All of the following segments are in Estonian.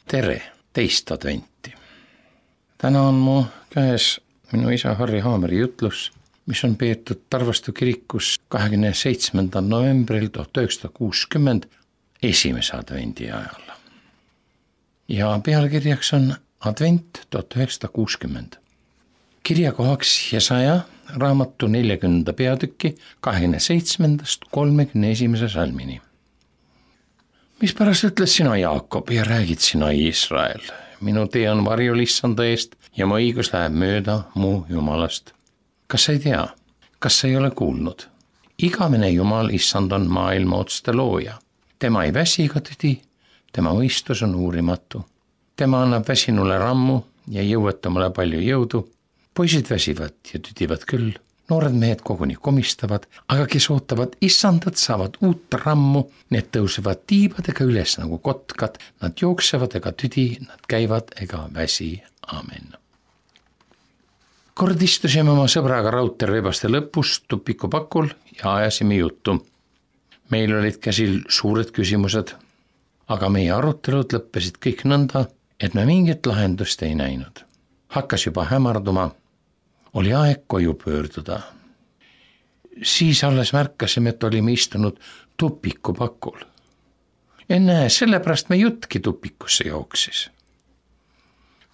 Tere, teist adventi. Täna on mu käes minu isa Harri Haameri jutlus, mis on peetud Tarvastu kirikus 27. novembril 1960 esimese advendi ajal. Ja pealkirjaks on Advent 1960. Kirjakohaks Jesaja raamatu 40. peatüki 27. 31. salmini. Mispärast ütled sina, Jaakob, ja räägid sina, Iisrael? Minu tee on varjul issanda eest ja mu õigus läheb mööda mu Jumalast. Kas sa ei tea? Kas sa ei ole kuulnud? Igavene Jumal issand on maailma otste looja. Tema ei väsi ega tüdi, tema mõistus on uurimatu. Tema annab väsinule rammu ja jõuetamale palju jõudu. Poisid väsivad ja tüdivad küll. Noored mehed koguni komistavad, aga kes ootavad issandat, saavad uut rammu. Need tõusevad tiibadega üles nagu kotkad, nad jooksevad ega tüdi, nad käivad ega väsi. Amen. Kord istusime oma sõbraga raudteerebaste lõpus tupikupakul ja ajasime juttu. Meil olid käsil suured küsimused, aga meie arutelud lõppesid kõik nõnda, et me mingit lahendust ei näinud. Hakkas juba hämarduma. Oli aeg koju pöörduda. Siis alles märkasime, et olime istunud tupikupakul. Ennäe, sellepärast me jutki tupikusse jooksis.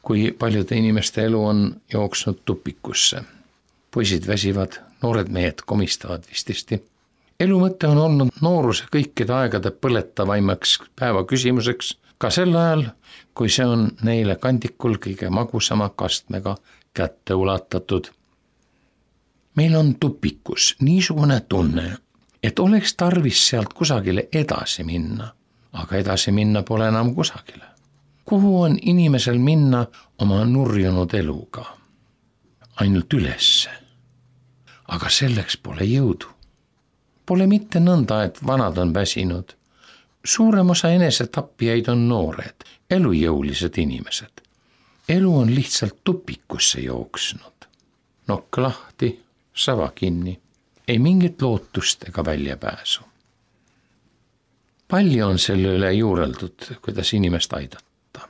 Kui paljude inimeste elu on jooksnud tupikusse. Poisid väsivad, noored mehed komistavad vististi. Elu mõte on olnud nooruse kõikide aegade põletavaimaks päeva küsimuseks, ka sel ajal, kui see on neile kandikul kõige magusama kastmega kätte ulatatud. Meil on tupikus niisugune tunne, et oleks tarvis sealt kusagile edasi minna, aga edasi minna pole enam kusagile. Kuhu on inimesel minna oma nurjunud eluga? Ainult ülesse. Aga selleks pole jõudu. Pole mitte nõnda, et vanad on väsinud. Suurem osa enesetappijaid on noored, elujõulised inimesed. Elu on lihtsalt tupikusse jooksnud. Nokk lahti, sava kinni. Ei mingit lootust ega väljapääsu. Palju on selle üle juureldud, kuidas inimest aidata.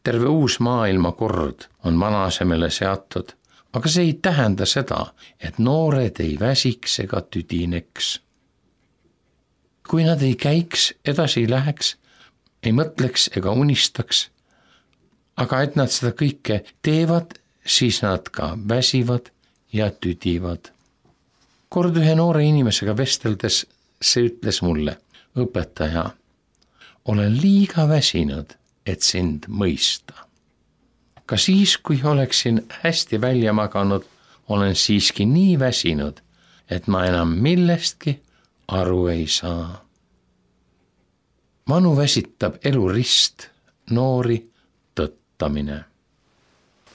Terve uus maailmakord on vana asemele seatud, aga see ei tähenda seda, et noored ei väsiks ega tüdineks. Kui nad ei käiks, edasi ei läheks, ei mõtleks ega unistaks, aga et nad seda kõike teevad, siis nad ka väsivad ja tüdivad. Kord ühe noore inimesega vesteldes see ütles mulle, õpetaja, olen liiga väsinud, et sind mõista. Ka siis, kui oleksin hästi välja maganud, olen siiski nii väsinud, et ma enam millestki aru ei saa. Vanu väsitab elu rist, noori tõttamine.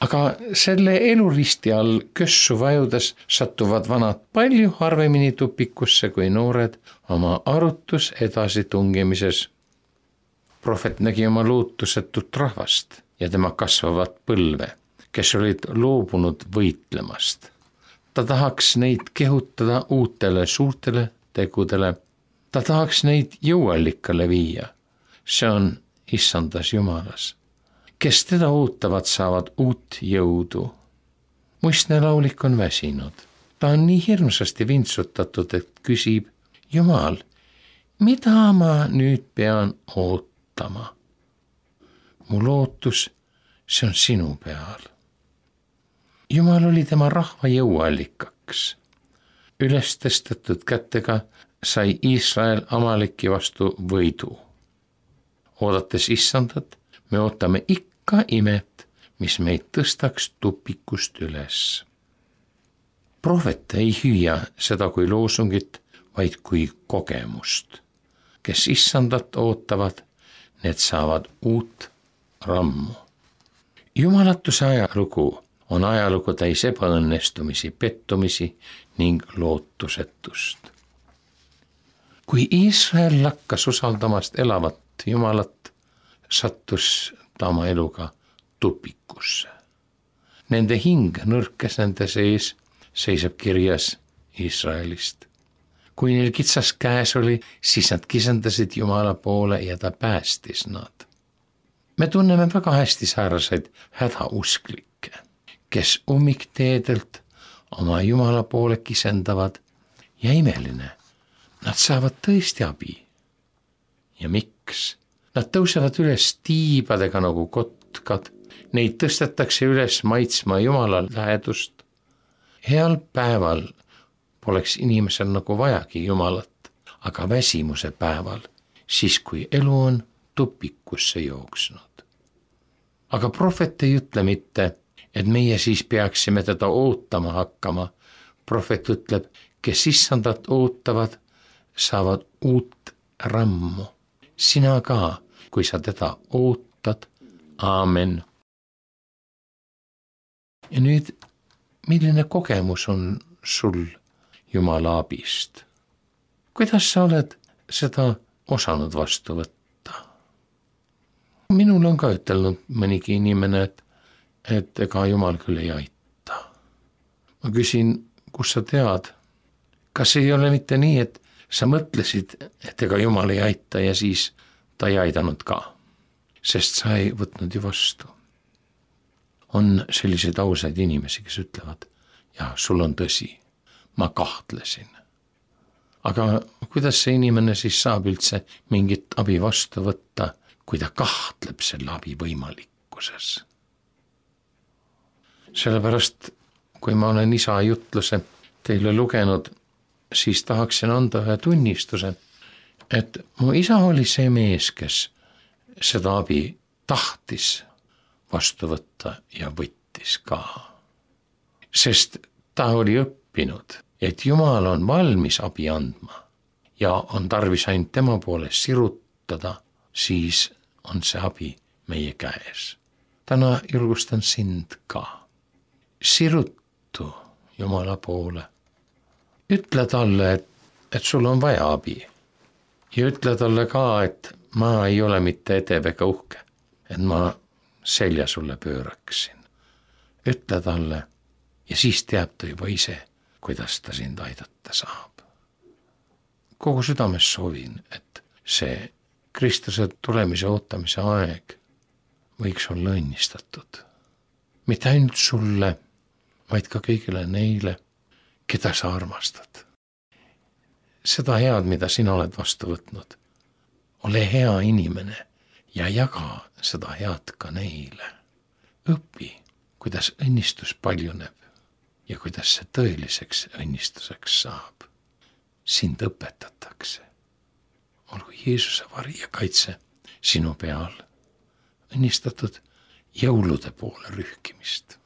Aga selle eluristi all kössu vajudes satuvad vanad palju harvemini tupikusse kui noored oma arutus edasi tungimises. Prohvet nägi oma lootusetut rahvast ja tema kasvavat põlve, kes olid loobunud võitlemast. Ta tahaks neid kehutada uutele suurtele tegudele. Ta tahaks neid jõuallikale viia. See on issandas Jumalas. Kes teda ootavad, saavad uut jõudu. Muistne laulik on väsinud. Ta on nii hirmsasti vintsutatud, et küsib, Jumal, mida ma nüüd pean ootama? Mu lootus, see on sinu peal. Jumal oli tema rahva jõuallikaks. Üles tõstetud kätega sai Iisrael Amaleki vastu võidu. Oodates issandat, me ootame ikka imet, mis meid tõstaks tupikust üles. Prohvet ei hüüa seda kui loosungit, vaid kui kogemust. Kes issandat ootavad, need saavad uut rammu. Jumalatuse ajalugu on ajalugu täis ebaõnnestumisi, pettumisi ning lootusetust. Kui Iisrael lakkas usaldamast elavat Jumalat, sattus ta oma eluga tupikusse. Nende hing nõrkes nende sees, seisab kirjas Iisraelist. Kui neil kitsas käes oli, siis nad kisendasid Jumala poole ja ta päästis nad. Me tunneme väga hästi sääraseid hädausklikke, kes ummikteedelt oma Jumala poole kisendavad ja imeline, nad saavad tõesti abi. Ja miks? Nad tõusevad üles tiibadega nagu kotkad, neid tõstetakse üles maitsma Jumala lähedust. Heal päeval poleks inimesel nagu vajagi Jumalat, aga väsimuse päeval, siis kui elu on tupikusse jooksnud. Aga prohvet ei ütle mitte, et meie siis peaksime teda ootama hakkama. Prohvet ütleb, kes issandat ootavad, saavad uut rammu. Sina ka, kui sa teda ootad. Aamen. Ja nüüd, milline kogemus on sul Jumala abist? Kuidas sa oled seda osanud vastu võtta? Minul on ka ütelnud mõnigi inimene, et ega Jumal küll ei aita. Ma küsin, kus sa tead? Kas ei ole mitte nii, et sa mõtlesid, et ega Jumal ei aita ja siis ta ei aidanud ka, sest sa ei võtnud ju vastu. On selliseid ausaid inimesi, kes ütlevad, ja sul on tõsi, ma kahtlesin. Aga kuidas see inimene siis saab üldse mingit abi vastu võtta, kui ta kahtleb selle abi võimalikkuses? Sellepärast, kui ma olen isa jutluse teile lugenud, siis tahaksin anda ühe tunnistuse, et mu isa oli see mees, kes seda abi tahtis vastu võtta ja võttis ka. Sest ta oli õppinud, et Jumal on valmis abi andma ja on tarvis ainult tema poole sirutada, siis on see abi meie käes. Täna julgustan sind ka. Sirutu Jumala poole. Ütle talle, et sul on vaja abi. Ja ütle talle ka, et ma ei ole mitte edev ega uhke, et ma selja sulle pööraksin. Ütle talle ja siis teab ta juba ise, kuidas ta sind aidata saab. Kogu südames soovin, et see Kristuse tulemise ootamise aeg võiks olla õnnistatud. Mitte ainult sulle, vaid ka kõigile neile, keda sa armastad. Seda head, mida sina oled vastu võtnud, ole hea inimene ja jaga seda head ka neile. Õpi, kuidas õnnistus paljuneb ja kuidas see tõeliseks õnnistuseks saab. Sind õpetatakse. Olgu Jeesuse vari ja kaitse sinu peal. Õnnistatud jõulude poole rühkimist.